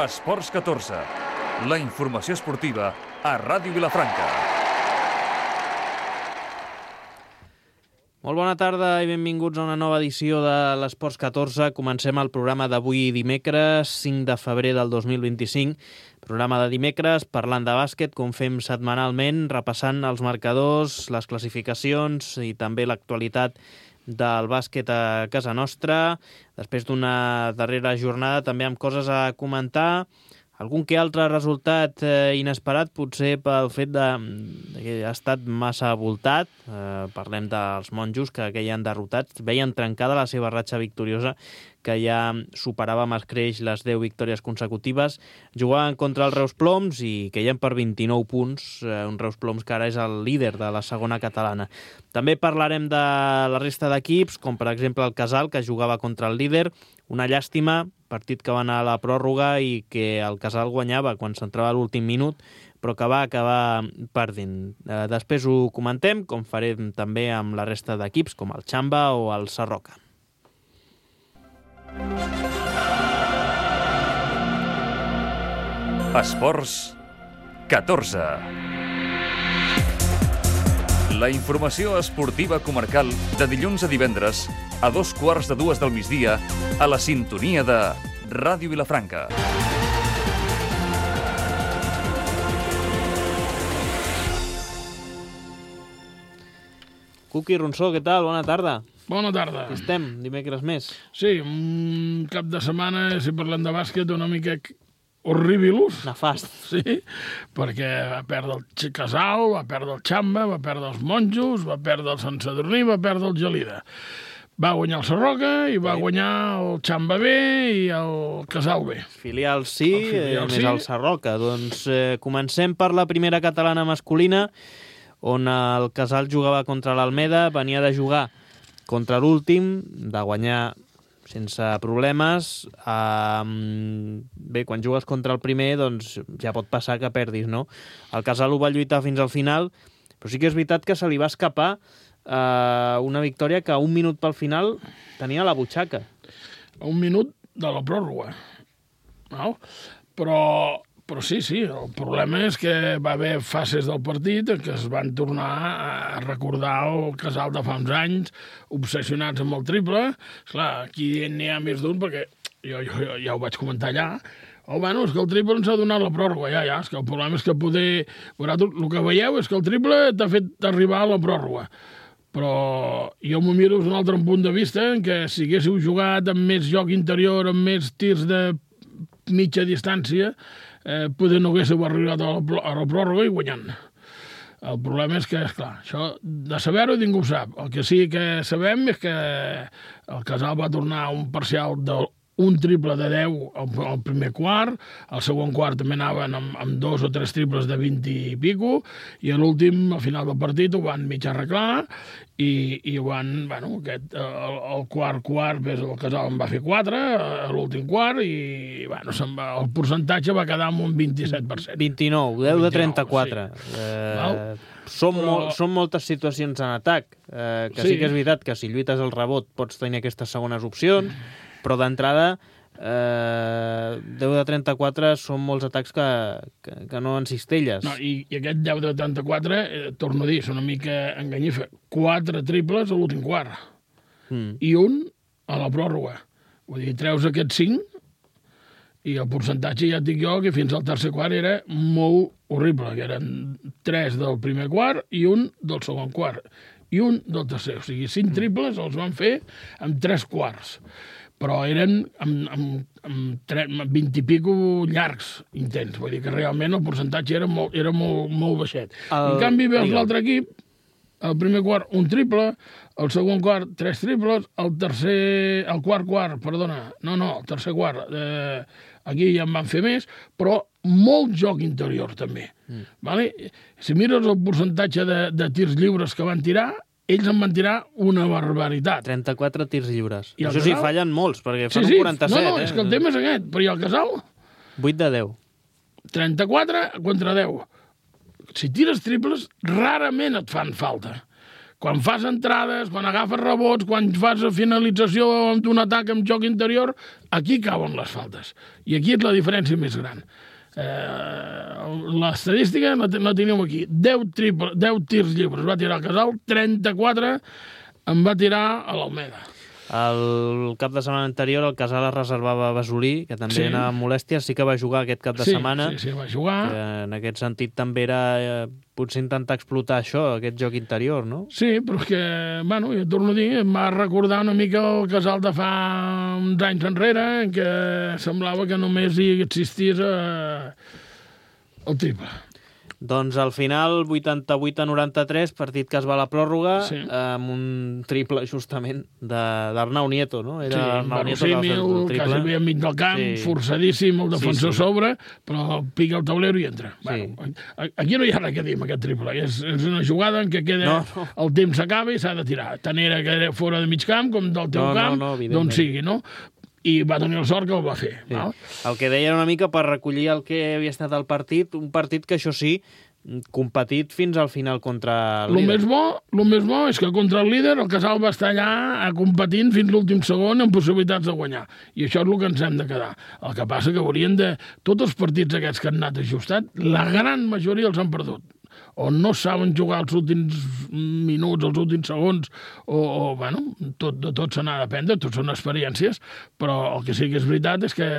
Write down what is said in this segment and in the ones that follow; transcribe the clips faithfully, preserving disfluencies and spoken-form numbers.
Esports catorze, la informació esportiva a Ràdio Vilafranca. Molt bona tarda i benvinguts a una nova edició de l'Esports catorze. Comencem el programa d'avui dimecres, cinc de febrer del dos mil vint-i-cinc. Programa de dimecres parlant de bàsquet, com fem setmanalment, repassant els marcadors, les classificacions i també l'actualitat del bàsquet a casa nostra. Després d'una darrera jornada també amb coses a comentar. Algun que altre resultat eh, inesperat, potser pel fet de, de que ha estat massa voltat. Eh, parlem dels monjos que queien derrotats. Veien trencada la seva ratxa victoriosa, que ja superava amb escreix les deu victòries consecutives. Jugaven contra els Reus Ploms i queien per vint-i-nou punts. Eh, un Reus Ploms que ara és el líder de la segona catalana. També parlarem de la resta d'equips, com per exemple el Casal, que jugava contra el líder. Una llàstima, partit que va anar a la pròrroga i que el Casal guanyava quan s'entrava a l'últim minut, però que va acabar perdent. Eh, després ho comentem, com farem també amb la resta d'equips, com el Xamba o el Sarroca. Esports catorze. La informació esportiva comarcal de dilluns a divendres a dos quarts de dues del migdia a la sintonia de Ràdio Vilafranca. Cuqui Ronsó, què tal? Bona tarda. Bona tarda. Aquí estem, dimecres més. Sí, un cap de setmana, si parlem de bàsquet, una mica horribilus. Nefast. Sí, perquè va perdre el Casal, va perdre el Xamba, va perdre els monjos, va perdre el Sant Sadurní, va perdre el Gelida. Va guanyar el Sarroca i va guanyar el Xamba B i el Casal B. Filial sí, el filial eh, més sí. el Sarroca. Doncs eh, comencem per la primera catalana masculina, on el Casal jugava contra l'Almeda, venia de jugar contra l'últim, de guanyar sense problemes. Um, bé, quan jugues contra el primer, doncs ja pot passar que perdis, no? El Casal ho va lluitar fins al final, però sí que és veritat que se li va escapar uh, una victòria que a un minut pel final tenia la butxaca. A un minut de la pròrroga. No? Però... Però sí, sí, el problema és que va haver fases del partit en què es van tornar a recordar el Casal de fa uns anys, obsessionats amb el triple. Esclar, aquí n'hi ha més d'un, perquè jo, jo, jo ja ho vaig comentar allà. Oh, bueno, és que el triple ens ha donat la pròrroga, ja, ja, és que el problema és que poder... Vosaltres, el que veieu és que el triple t'ha fet arribar a la pròrroga. Però jo m'ho miro des d'un altre punt de vista, en què si haguéssiu jugat amb més joc interior, amb més tirs de mitja distància, Eh, poder no haguéssiu arribat a la, a la pròrroga i guanyant. El problema és que, esclar, això de saber-ho ningú ho sap. El que sí que sabem és que el Casal va tornar a un parcial d'un triple de deu al, al primer quart, al segon quart també anaven amb, amb dos o tres triples de vint i pico, i a l'últim, al final del partit, ho van mig arreglar, i, i ho van, bueno, aquest, el, el quart quart, el Casal en va fer quatre, a l'últim quart, i, bueno, se'n va, el percentatge va quedar amb un vint-i-set per cent. vint-i-nou, deu de trenta-quatre. Sí. Eh, són, Però... mol, són moltes situacions en atac, eh, que sí. sí que és veritat que si lluites el rebot pots tenir aquestes segones opcions, però d'entrada eh, deu de trenta-quatre són molts atacs que, que, que no en cistelles. No, i, i aquest deu de trenta-quatre, eh, torno a dir, és una mica enganyifa. Quatre triples a l'últim quart. Mm. I un a la pròrroga. Vull dir, treus aquests cinc i el percentatge ja et dic jo que fins al tercer quart era molt horrible, que eren tres del primer quart i un del segon quart. I un del tercer. O sigui, cinc triples els van fer amb tres quarts. Però eren amb, amb, amb, tre, amb vint i pico llargs, intents. Vull dir que realment el percentatge era molt, era molt, molt baixet. El... En canvi, veus l'altre equip, el primer quart, un triple, el segon quart, tres triples, el tercer... el quart quart, perdona, no, no, el tercer quart, eh, aquí ja en van fer més, però molt joc interior, també. Mm. Vale? Si mires el percentatge de, de tirs lliures que van tirar, ells en van tirar una barbaritat. trenta-quatre tirs lliures. I això Casal... sí, fallen molts, perquè fan sí, sí. un quaranta-set. No, no, eh? és que el tema és aquest. Però i el Casal? vuit de deu. trenta-quatre contra deu. Si tires triples, rarament et fan falta. quan fas entrades, quan agafes rebots, quan fas finalització d'un atac amb joc interior, aquí cauen les faltes. I aquí és la diferència més gran. Eh, l'estadística la, la tenim aquí. deu, triple, deu tirs lliures va tirar el Casal, trenta-quatre en va tirar a l'Almeda. El cap de setmana anterior el Casal es reservava a Basolí, que també sí. anava amb molèsties, sí que va jugar aquest cap de sí, setmana. Sí, sí, va jugar. Que en aquest sentit també era eh, potser intentar explotar això, aquest joc interior, no? Sí, però és que, bueno, jo torno a dir, em va recordar una mica el Casal de fa uns anys enrere, en què semblava que només hi existís eh, el triple. Doncs al final, vuitanta-vuit a noranta-tres, partit que es va a la pròrroga, sí. amb un triple, justament, d'Arnau Nieto, no? Era sí, Arnau Nieto que va fer el triple. Quasi bé enmig del camp, sí. forçadíssim, el defensor sí, sí. sobre, però pica el taulero i entra. Sí. Bueno, aquí no hi ha res que dir amb aquest triple. És, és una jugada en què queda no, no. el temps s'acaba i s'ha de tirar. Tant era que era fora de mig camp com del teu no, camp, no, no, d'on sigui, no? I va tenir el sort que ho va fer. Sí. Val? El que deia una mica per recollir el que havia estat el partit, un partit que, això sí, competit fins al final contra el líder. Lo més bo, lo més bo és que contra el líder el Casal va estar allà competint fins l'últim segon amb possibilitats de guanyar. I això és el que ens hem de quedar. El que passa que haurien de... Tots els partits aquests que han anat ajustat, la gran majoria els han perdut. O no saben jugar els últims minuts, els últims segons, o, o bueno, tot, de tot se n'ha d'aprendre, tot són experiències, però el que sí que és veritat és que,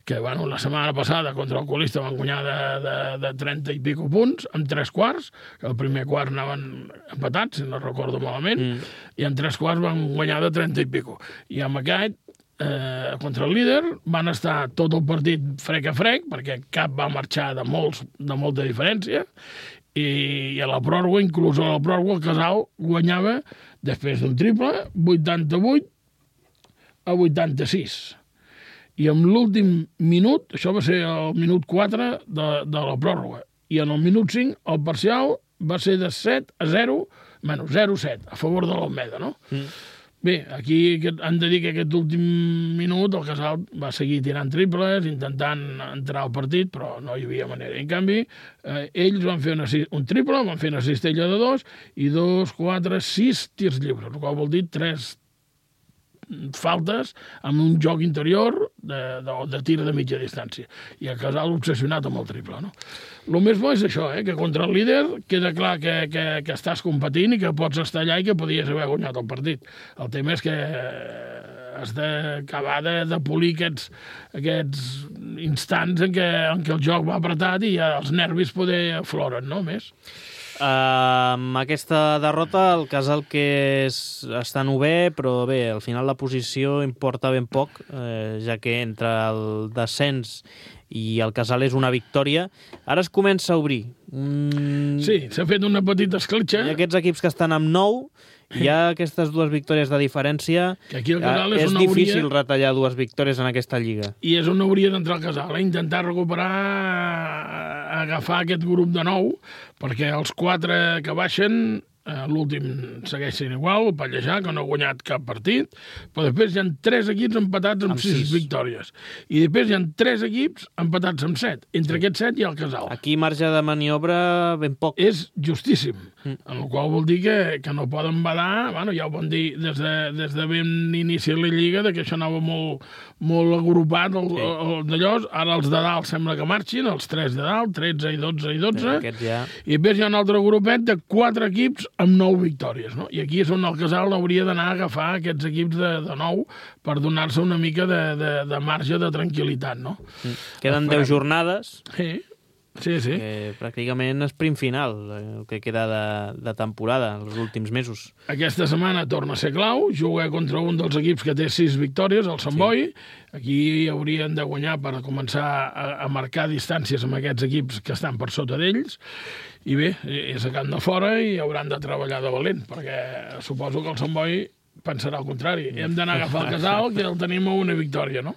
que bueno, la setmana passada contra el Colista van guanyar de, de, de trenta i pico punts, en tres quarts, que el primer quart anaven empatats, si no recordo malament, mm. i en tres quarts van guanyar de trenta i pico. I amb aquest, eh, contra el líder, van estar tot el partit frec a frec, perquè cap va marxar de, molts, de molta diferència, i a la pròrroga, inclús a la pròrroga, el Casal guanyava, després d'un triple, vuitanta-vuit a vuitanta-sis. I en l'últim minut, això va ser el minut quatre de, de la pròrroga, i en el minut cinc el parcial va ser de set a zero, bueno, zero a set, a favor de l'Almeda, no? Mm. Bé, aquí han de dir que aquest últim minut el Casal va seguir tirant triples, intentant entrar al partit, però no hi havia manera. En canvi, eh, ells van fer una, un triple, van fer una cistella de dos, i dos, quatre, sis tirs lliures, el qual vol dir tres faltes amb un joc interior de, de, de tir de mitja distància. I el Casal obsessionat amb el triple, no? El més bo és això, eh, que contra el líder queda clar que, que, que estàs competint i que pots estar allà i que podies haver guanyat el partit. El tema és que has d'acabar de, de polir aquests, aquests instants en què, en què el joc va apretat i ja els nervis poder afloren, no? Més. Uh, amb aquesta derrota el Casal que és, està novè, però bé, al final la posició importa ben poc, eh, ja que entre el descens i el Casal és una victòria. Ara es comença a obrir. Mm... Sí, s'ha fet una petita escletxa. I aquests equips que estan amb nou, hi ha aquestes dues victòries de diferència. Que aquí el Casal és, és on difícil hauria... retallar dues victòries en aquesta lliga. I és on hauria d'entrar el Casal, eh? Intentar recuperar, agafar aquest grup de nou, perquè els quatre que baixen, eh, l'últim segueix sent igual, el Pallejà, que no ha guanyat cap partit, però després hi ha tres equips empatats amb, amb sis, sis victòries. I després hi ha tres equips empatats amb set. Entre sí. aquests set hi ha el Casal. Aquí marge de maniobra ben poc. És justíssim, mm. en el qual vol dir que, que no poden badar, bueno, ja ho van dir des de, des de ben inici la Lliga, que això anava molt, molt agrupat, el, sí. el, d'allò, ara els de dalt sembla que marxin, els tres de dalt, tretze i dotze i dotze, ja... i després hi ha un altre grupet de quatre equips amb nou victòries, no? I aquí és on el Casal hauria d'anar a agafar aquests equips de, de nou per donar-se una mica de, de, de marge de tranquil·litat, no? Mm. Queden deu jornades. Sí, sí, sí. Que pràcticament és prim final, el que queda de, de temporada, els últims mesos. Aquesta setmana torna a ser clau, juga contra un dels equips que té sis victòries, el Sant Boi. Sí. Aquí haurien de guanyar per començar a, a marcar distàncies amb aquests equips que estan per sota d'ells. I bé, és a camp de fora i hauran de treballar de valent, perquè suposo que el Sant Boi pensarà al contrari. Hem d'anar a agafar el Casal, que el tenim a una victòria, no?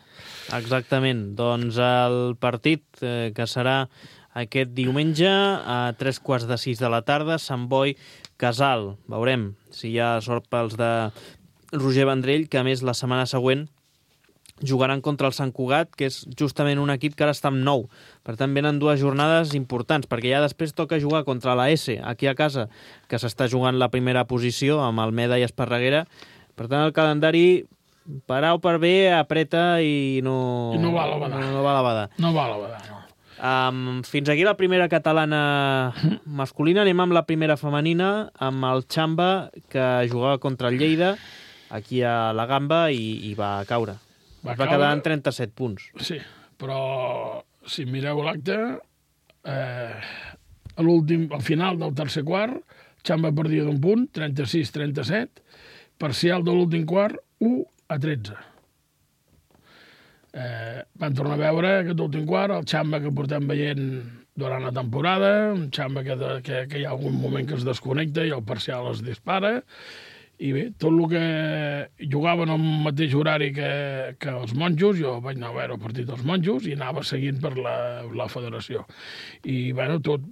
Exactament. Doncs el partit eh, que serà aquest diumenge a tres quarts de sis de la tarda, Sant Boi, Casal. Veurem si hi ha sort pels de Roger Vendrell, que a més la setmana següent jugaran contra el Sant Cugat, que és justament un equip que ara està amb nou. Per tant, venen dues jornades importants, perquè ja després toca jugar contra la S, aquí a casa, que s'està jugant la primera posició, amb Almeda i Esparreguera. Per tant, el calendari, per A o per B, apreta i no... I no va a la badar. No, no va a la badar. No va a la badar, no. Um, fins aquí la primera catalana masculina. Anem amb la primera femenina, amb el Xamba, que jugava contra el Lleida, aquí a la Gamba, i, i va caure. Va, va quedar en trenta-set punts. Sí, però si mireu l'acte, eh, a l'últim, al final del tercer quart, Xamba perdia d'un punt, trenta-sis trenta-set, parcial de l'últim quart, u a tretze. Eh, van tornar a veure aquest últim quart, el Xamba que portem veient durant la temporada, un Xamba que, de, que, que hi ha algun moment que es desconnecta i el parcial es dispara. I bé, tot el que jugaven al mateix horari que, que els monjos, jo vaig anar a veure el partit dels monjos i anava seguint per la, la federació. I, bueno, tot...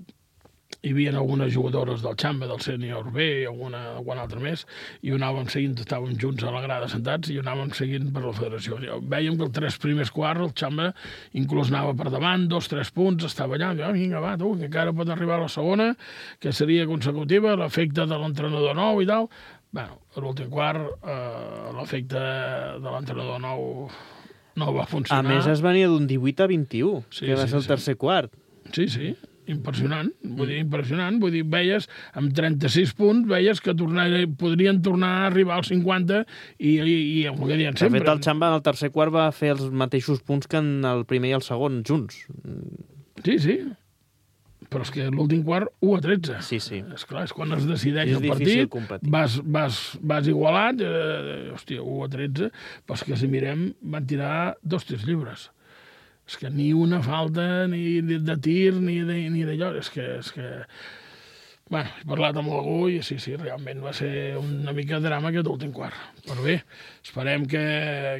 Hi havia algunes jugadores del Xamba, del sènior B, i alguna, alguna altra més, i ho anàvem seguint, estàvem junts a la grada sentats, i ho anàvem seguint per la federació. Vèiem que els tres primers quarts el Xamba inclús anava per davant, dos, tres punts, estava allà, i, oh, vinga, va, tu, que encara pot arribar a la segona, que seria consecutiva, l'efecte de l'entrenador nou i tal. Bueno, a l'últim quart, eh, l'efecte de l'entrenador nou no va funcionar. A més, es venia d'un divuit a vint-i-u, sí, que va sí, ser el sí. tercer quart. Sí, sí, impressionant. Vull dir, impressionant. Vull dir, veies, amb trenta-sis punts, veies que tornar, podrien tornar a arribar als cinquanta i, i, i el que diuen sempre. De fet, el Xamba en el tercer quart va fer els mateixos punts que en el primer i el segon, junts. Sí, sí. Però és que l'últim quart, u a tretze. Sí, sí. És clar, és quan es decideix és el partit, competir. vas, vas, vas igualat, eh, hòstia, u a tretze, però és que si mirem van tirar dos tirs lliures. És que ni una falta, ni de tir, ni de, ni d'allò. És que... És que... Bueno, he parlat amb algú i sí, sí, realment va ser una mica de drama aquest últim quart. Però bé, esperem que,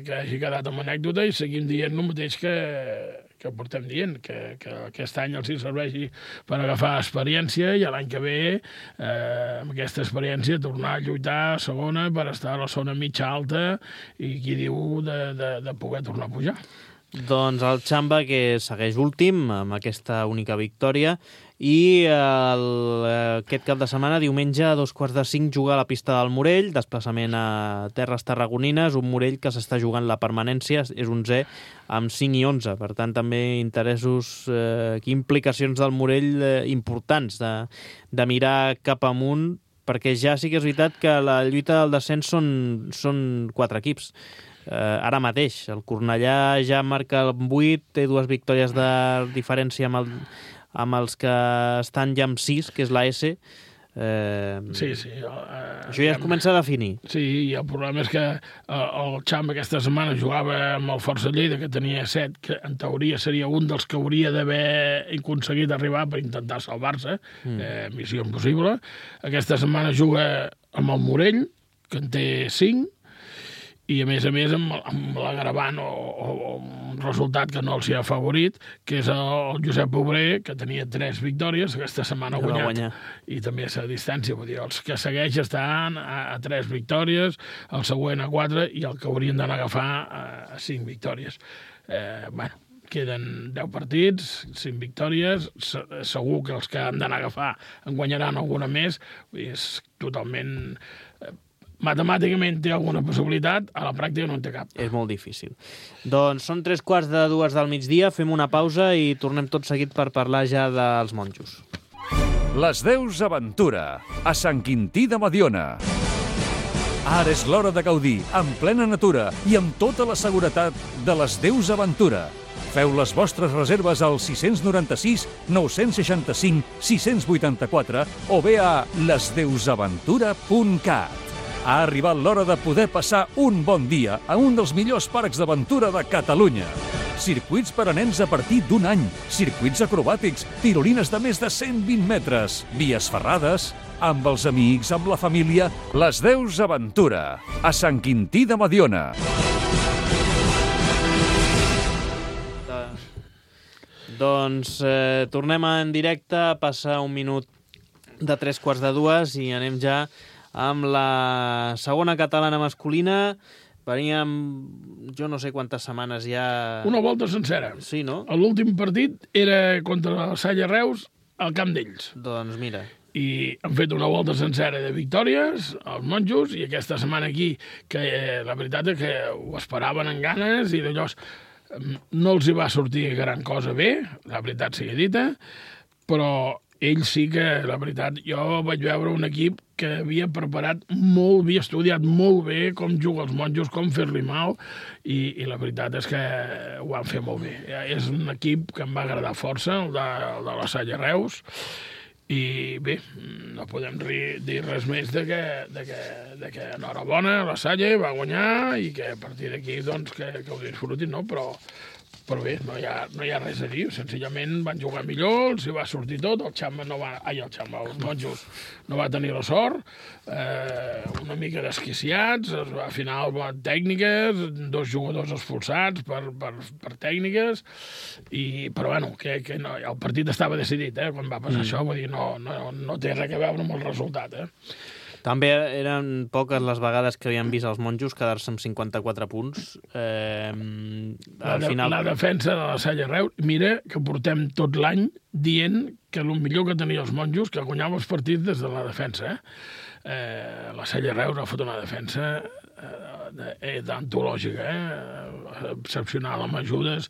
que hagi quedat amb anècdota i seguim dient el mateix que, que portem dient, que, que aquest any els hi serveixi per agafar experiència i l'any que ve, eh, amb aquesta experiència, tornar a lluitar a segona per estar a la zona mitja alta i qui diu de, de, de poder tornar a pujar. Doncs el Xamba, que segueix últim amb aquesta única victòria, i el, aquest cap de setmana, diumenge, a dos quarts de cinc, juga a la pista del Morell, desplaçament a terres tarragonines, un Morell que s'està jugant la permanència, és onzè amb cinc i onze. Per tant, també interessos, eh, implicacions del Morell eh, importants de, de mirar cap amunt, perquè ja sí que és veritat que la lluita del descens són, són quatre equips. Uh, ara mateix, el Cornellà ja marca el vuit, té dues victòries de diferència amb, el, amb els que estan ja amb sis, que és la S. Uh, sí, sí. Uh, això ja es comença a definir. Sí, i el problema és que uh, el Xamba aquesta setmana jugava amb el Força Lleida, que tenia set, que en teoria seria un dels que hauria d'haver aconseguit arribar per intentar salvar-se, mm. eh, missió impossible. Aquesta setmana juga amb el Morell, que en té cinc, i a més a més amb, amb l'agravant o, o, o un resultat que no els hi ha favorit, que és el Josep Obrer, que tenia tres victòries, aquesta setmana ha guanyat, i també a la distància, vull dir, els que segueix estan a, a tres victòries, el següent a quatre, i el que haurien d'anar a agafar a, a cinc victòries. Eh, bueno, queden deu partits, cinc victòries, segur que els que han d'anar a agafar en guanyaran alguna més, és totalment... Matemàticament té alguna possibilitat, a la pràctica no en té cap. És molt difícil. Doncs són tres quarts de dues del migdia, fem una pausa i tornem tot seguit per parlar ja dels monjos. Les Deus Aventura, a Sant Quintí de Mediona. Ara és l'hora de gaudir, en plena natura i amb tota la seguretat de les Deus Aventura. Feu les vostres reserves al sis nou sis, nou seixanta cinc, sis vuitanta-quatre o bé a les deus aventura punt cat. Ha arribat l'hora de poder passar un bon dia a un dels millors parcs d'aventura de Catalunya. Circuits per a nens a partir d'un any, circuits acrobàtics, tirolines de més de cent vint metres, vies ferrades, amb els amics, amb la família, les Deus Aventura, a Sant Quintí de Mediona. Doncs eh, tornem en directe, passa un minut de tres quarts de dues i anem ja amb la segona catalana masculina, veníem, jo no sé quantes setmanes ja... Una volta sencera. Sí, no? L'últim partit era contra la Salle Reus al camp d'ells. Doncs mira. I han fet una volta sencera de victòries, els monjos, i aquesta setmana aquí, que eh, la veritat és que ho esperaven amb ganes, i d'allò no els hi va sortir gran cosa bé, la veritat sigui dita, però ells sí que, la veritat, jo vaig veure un equip que havia preparat molt, havia estudiat molt bé com jugar els monjos, com fer-li mal, i, i la veritat és que ho van fer molt bé. És un equip que em va agradar força, el de, el de la Salle Reus, i bé, no podem dir res més de que, de que, de que enhorabona, la Salle va guanyar i que a partir d'aquí doncs, que, que ho disfrutin, no? Però, però bé, no hi, ha, no hi ha res a dir, senzillament van jugar millor, els hi va sortir tot, el Xamba no va... Ai, el Xamba, els monjos no va tenir la sort, eh, una mica desquiciats, al final van tècniques, dos jugadors expulsats per, per, per tècniques, i, però bueno, que, que no, el partit estava decidit, eh, quan va passar mm. això, vull dir, no, no, no té res a veure amb el resultat, eh. També eren poques les vegades que havien vist els monjos quedar-se amb cinquanta-quatre punts. Eh, la, al de, final... la defensa de la Salle Reus, mira que portem tot l'any dient que el millor que tenia els monjos, que guanyava els partits des de la defensa. Eh? Eh, la Salle Reus ha fet una defensa eh, d'antològica, eh? excepcional, amb ajudes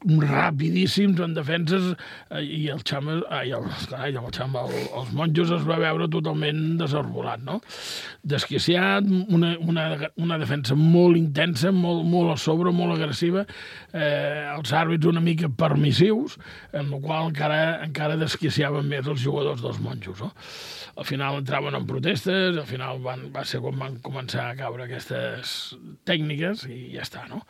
rapidíssims en defenses, eh, i el Xamba, ai, el, ai, el Xamba, el, els monjos es va veure totalment desarbolat, no? Desquiciat, una, una, una defensa molt intensa, molt, molt a sobre, molt agressiva, eh, els àrbits una mica permissius, en el qual encara, encara desquiciaven més els jugadors dels monjos, no? Al final entraven en protestes, al final van, va ser quan van començar a caure aquestes tècniques i ja està, no?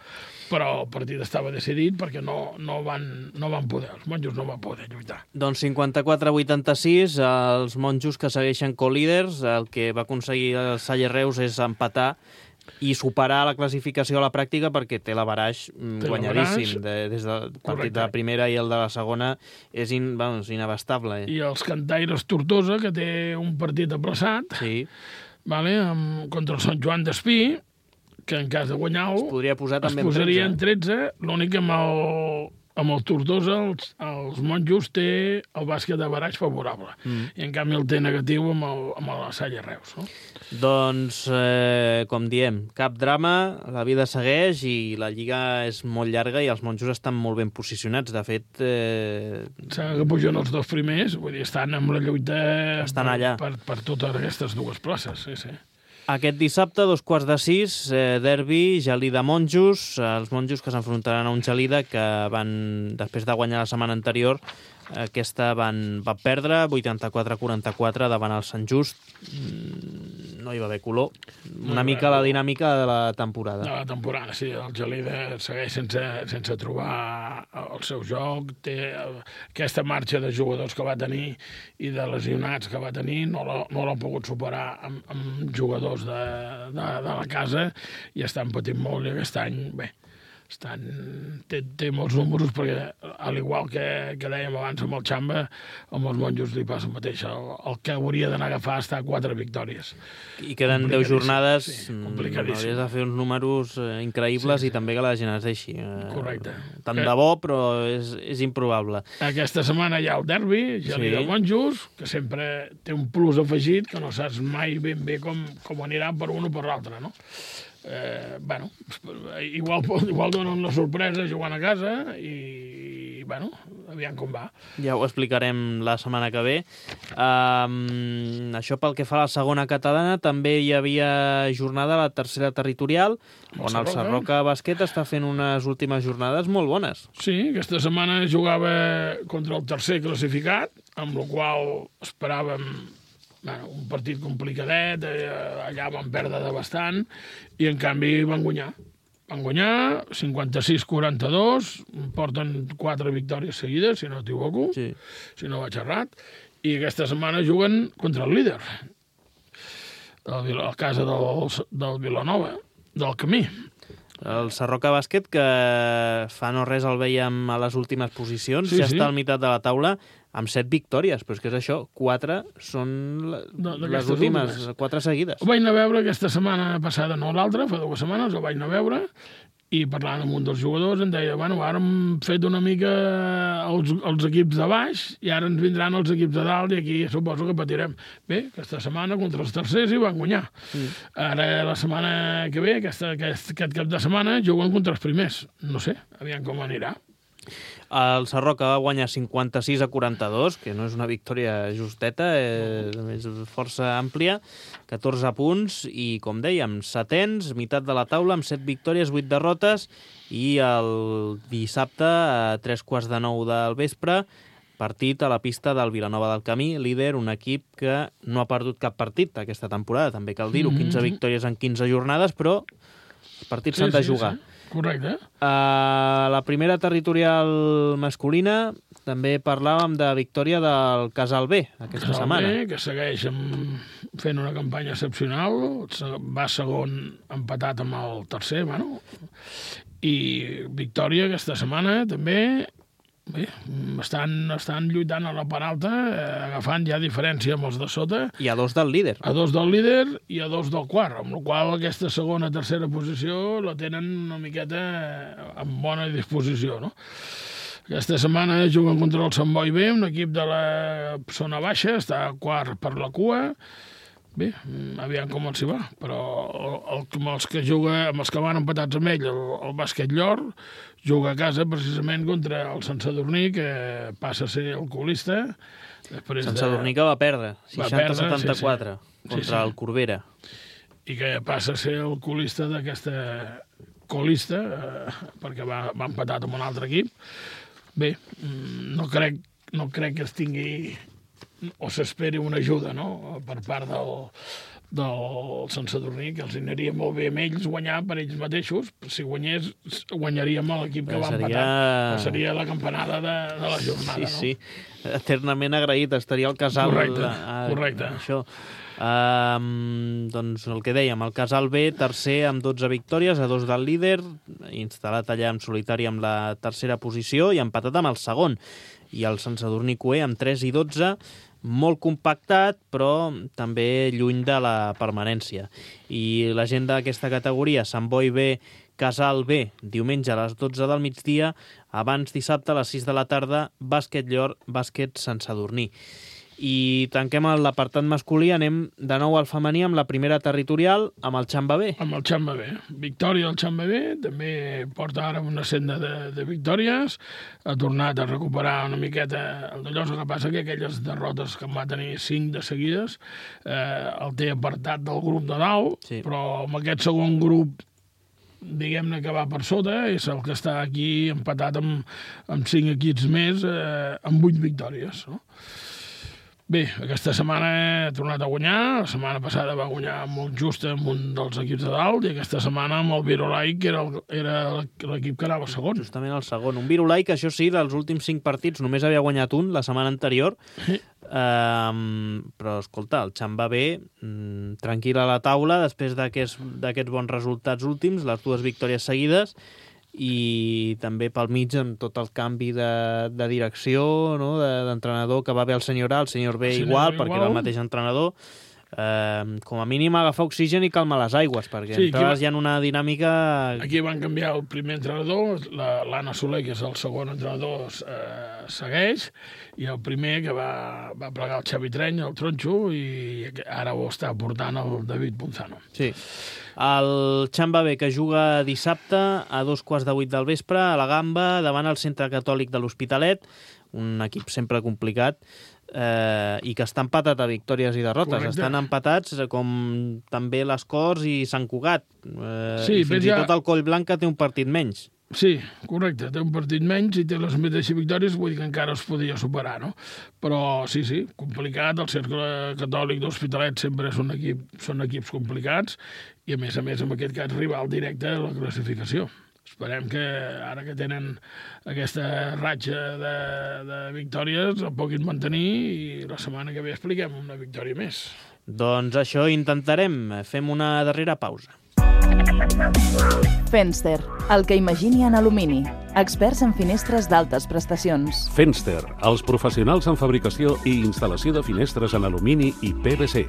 Però el partit estava decidit perquè no, no, van, no van poder, els monjos no van poder lluitar. Doncs cinquanta-quatre a vuitanta-sis, els monjos que segueixen co-líders, el que va aconseguir el Salle Reus és empatar i superar la classificació a la pràctica perquè té l'averaix guanyadíssim. De, des del partit de la primera i el de la segona és in, vamos, inabastable. I els cantaires Tortosa, que té un partit aplaçat, sí. vale, amb, contra el Sant Joan d'Espí, que en cas de guanyar-ho es podria posar també es posaria en tretze, l'únic que amb el, amb el Tortosa els, els monjos té el bàsquet d'averaix favorable, mm. i en canvi el té negatiu amb, el, amb la Salle Reus, no? Doncs, eh, com diem, cap drama, la vida segueix i la lliga és molt llarga i els monjos estan molt ben posicionats. De fet... Eh... Sembla que pugen els dos primers, vull dir, estan amb la lluita estan per, allà. Per, per totes aquestes dues places, sí, sí. Aquest dissabte, dos quarts de sis, eh, derbi, Gelida-Monjos, els monjos que s'enfrontaran a un Gelida que van, després de guanyar la setmana anterior, aquesta van, van perdre vuitanta-quatre a quaranta-quatre davant el Sant Just. No hi va haver color. Una no, mica la dinàmica de la temporada. De la temporada, sí. El Gelida segueix sense, sense trobar el seu joc. Té aquesta marxa de jugadors que va tenir i de lesionats que va tenir, no l'ha no pogut superar amb, amb jugadors de, de, de la casa i estan patint molt i aquest any, bé, estan, té, té molts números perquè, al igual que, que dèiem abans amb el Xamba, amb els monjos li passa el mateix. El, el que hauria d'anar a agafar està a quatre victòries. I queden deu jornades, sí, complicadíssim. Hauries de fer uns números eh, increïbles, sí, sí. I també que la gent es deixi. Eh, Correcte. Tant de bo, però és, és improbable. Aquesta setmana hi ha el derbi, Gelida sí. Monjos, que sempre té un plus afegit, que no saps mai ben bé com, com anirà per un o per l'altre, no? Eh, bueno, igual, igual donen la sorpresa jugant a casa i, bueno, aviam com va. Ja ho explicarem la setmana que ve. Um, això pel que fa a la segona catalana, també hi havia jornada a la tercera territorial, on el Sarroca Bàsquet està fent unes últimes jornades molt bones. Sí, aquesta setmana jugava contra el tercer classificat, amb la qual esperàvem bueno, un partit complicadet, allà van perdre de bastant, i en canvi van guanyar. Van guanyar cinquanta-sis a quaranta-dos, porten quatre victòries seguides, si no m'equivoco, sí. si no vaig errat, i aquesta setmana juguen contra el líder, a la casa del, del Vilanova, del Camí. El Sarroca Bàsquet, que fa no res el veiem a les últimes posicions, Sí, ja sí. està al meitat de la taula amb set victòries, però és que és això, quatre són la- No, les d'aquestes últimes, últimes. quatre seguides. Ho vaig anar a veure aquesta setmana passada, no l'altra, fa dues setmanes, ho vaig anar a veure, i parlant amb un dels jugadors em deia, bueno, ara hem fet una mica els, els equips de baix i ara ens vindran els equips de dalt i aquí suposo que patirem. Bé, aquesta setmana contra els tercers hi van guanyar. Mm. Ara la setmana que ve, aquesta, aquest, aquest cap de setmana, juguen contra els primers. No sé, aviam com anirà. El Sarroca va guanyar cinquanta-sis a quaranta-dos, que no és una victòria justeta, és, és força àmplia, catorze punts i, com dèiem, setens, meitat de la taula, amb set victòries, vuit derrotes, i el dissabte, a tres quarts de nou del vespre, partit a la pista del Vilanova del Camí, líder, un equip que no ha perdut cap partit aquesta temporada, també cal dir-ho, quinze victòries en quinze jornades, però els partits s'han de jugar. Sí. Correcte. A la primera territorial masculina també parlàvem de victòria del Casal B aquesta Casal setmana. B, que segueix amb, fent una campanya excepcional, va segon empatat amb el tercer, bueno, i victòria aquesta setmana també. Bé, estan, estan lluitant a la part alta, eh, agafant ja diferència amb els de sota, I a dos del líder. a dos del líder i a dos del quart, amb la qual cosa aquesta segona tercera posició la tenen una miqueta en bona disposició, no? Aquesta setmana juguen contra el Sant Boi B, un equip de la zona baixa, està quart per la cua. Bé, aviam com els hi va, però el, el, amb, els que juga, amb els que van empatats amb ell, el, el Bàsquet Llor, juga a casa precisament contra el Sant Sadurní, que passa a ser el colista. Després Sant de- Sadurní que va perdre, seixanta a setanta-quatre, sí, sí. contra Sí, sí. el Corbera. I que passa a ser el colista d'aquesta colista, eh, perquè va, va empatat amb un altre equip. Bé, mm, no crec, no crec que es tingui o s'esperi una ajuda, no?, per part del, del Sant Sadurní, que els aniria molt bé amb ells guanyar per ells mateixos. Si guanyés, guanyaríem l'equip que Però va seria- empatar. Però seria la campanada de, de la jornada, Sí, no? sí, eternament agraït, estaria al Casal... Correcte, a, correcte. Això. Um, doncs el que dèiem, el Casal B, tercer amb dotze victòries, a dos del líder, instal·lat allà en solitari amb la tercera posició i empatat amb el segon. I el Sant Sadurní Cué amb tres i dotze, molt compactat, però també lluny de la permanència. I la gent d'aquesta categoria, Sant Boi B, Casal B, diumenge a les dotze del migdia, abans dissabte a les sis de la tarda, Bàsquet Llor, Bàsquet Sant Sadurní. I tanquem l'apartat masculí, anem de nou al femení amb la primera territorial, amb el Xamba B. Amb el Xamba B. Victòria del Xamba B, també porta ara una senda de, de victòries, ha tornat a recuperar una miqueta el d'allò, el que passa que aquelles derrotes que en va tenir cinc de seguides eh, el té apartat del grup de dalt, Sí. però amb aquest segon grup diguem-ne que va per sota, és el que està aquí empatat amb, amb cinc equips més, eh, amb vuit victòries, no? Bé, aquesta setmana ha tornat a guanyar, la setmana passada va guanyar molt just amb un dels equips de dalt, i aquesta setmana amb el Virolai, que era el- era l'equip que anava segon. Justament el segon. Un Virolai que, això sí, dels últims cinc partits només havia guanyat un la setmana anterior. Sí. Um, però, escolta, el Xamba B, mm, tranquil a la taula, després d'aquests d'aquests bons resultats últims, les dues victòries seguides, i també pel mig amb tot el canvi de, de direcció, no? de- d'entrenador, que va bé el senyor A, el senyor B El senyor igual, B perquè igual. era el mateix entrenador. Eh, com a mínim agafar oxigen i calmar les aigües, perquè Sí, entraves aquí- ja en una dinàmica... Aquí van canviar el primer entrenador, la- l'Anna Soler, que és el segon entrenador, eh, segueix, i el primer que va, va plegar el Xavi Treny, el tronxo, i ara ho està portant el David Ponzano. Sí. El Xamba B, que juga dissabte a dos quarts de vuit del vespre a la Gamba, davant el Centre Catòlic de l'Hospitalet, un equip sempre complicat, eh, i que està empatat a victòries i derrotes. Correcte. Estan empatats eh, com també les Corts i Sant Cugat. Eh, Sí, i fins però i ja- tot el Coll Blanc, que té un partit menys. Sí, correcte, té un partit menys i té les mateixes victòries, vull dir que encara es podia superar, no? Però sí, sí, complicat, el Cercle Catòlic d'Hospitalet sempre és un equip, són equips complicats, i a més a més amb aquest cas rival directe a la classificació. Esperem que ara que tenen aquesta ratxa de, de victòries el puguin mantenir, i la setmana que ve expliquem una victòria més. Doncs això intentarem. Fem una darrera pausa. Fenster, el que imagini en alumini. Experts en finestres d'altes prestacions. Fenster, els professionals en fabricació i instal·lació de finestres en alumini i P V C,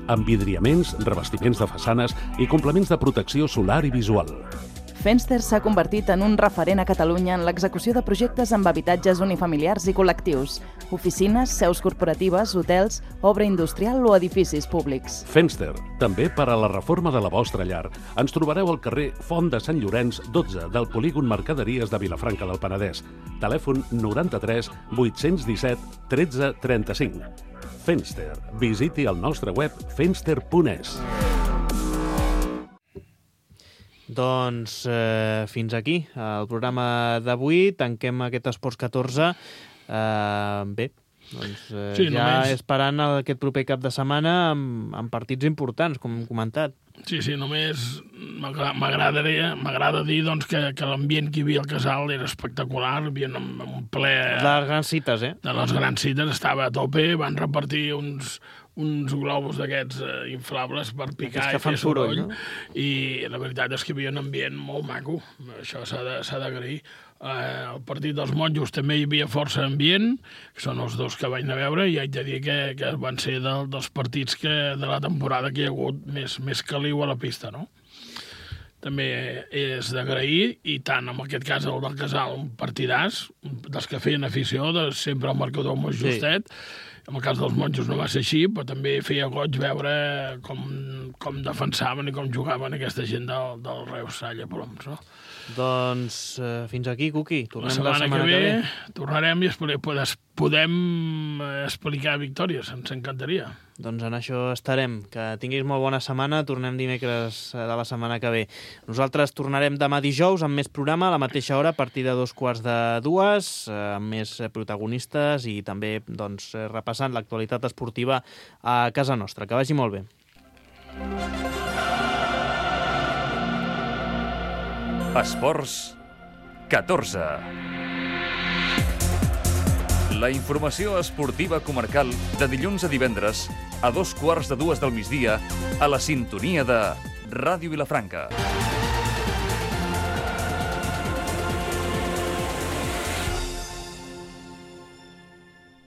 amb vidriaments, revestiments de façanes i complements de protecció solar i visual. Fenster s'ha convertit en un referent a Catalunya en l'execució de projectes amb habitatges unifamiliars i col·lectius, oficines, seus corporatives, hotels, obra industrial o edificis públics. Fenster, també per a la reforma de la vostra llar. Ens trobareu al carrer Font de Sant Llorenç, dotze, del polígon Mercaderies de Vilafranca del Penedès. Telèfon noranta-tres vuit-cents disset tretze trenta-cinc. Fenster. Visiti el nostre web fenster punt es. Doncs eh, fins aquí el programa d'avui. Tanquem aquest Esports catorze. Eh, bé, doncs eh, Sí, ja només- esperant aquest proper cap de setmana amb, amb partits importants, com hem comentat. Sí, sí, només m'agra- m'agradaria, m'agrada dir doncs, que, que l'ambient que hi havia al casal era espectacular, hi havia un, un ple Les grans cites, eh? de les grans cites, estava a tope, van repartir uns, uns globus d'aquests eh, inflables per picar Aquests que i fan fer soroll, soroll, no? i la veritat és que hi havia un ambient molt maco, això s'ha de- s'ha d'agrair. Eh, el partit dels monjos també hi havia força ambient, que són els dos que vaig anar a veure, i haig de dir que, que van ser del, dels partits que, de la temporada que hi ha hagut més, més caliu a la pista, no? També és d'agrair, i tant en aquest cas el del Casal, un partidàs, un dels que feien afició, de sempre el marcador molt Sí. justet. En el cas dels monjos no va ser així, però també feia goig veure com, com defensaven i com jugaven aquesta gent del, del Reus Salla Ploms, no? Doncs eh, fins aquí, Cuqui. La Tornem setmana, la setmana que ve, tornarem i expli- podem, podem eh, explicar victòries, ens encantaria. Doncs en això estarem. Que tinguis molt bona setmana. Tornem dimecres eh, de la setmana que ve. Nosaltres tornarem demà dijous amb més programa a la mateixa hora, a partir de dos quarts de dues, eh, amb més eh, protagonistes i també doncs, eh, repassant l'actualitat esportiva a casa nostra. Que vagi molt bé. Esports catorze. La informació esportiva comarcal de dilluns a divendres a dos quarts de dues del migdia a la sintonia de Ràdio Vilafranca.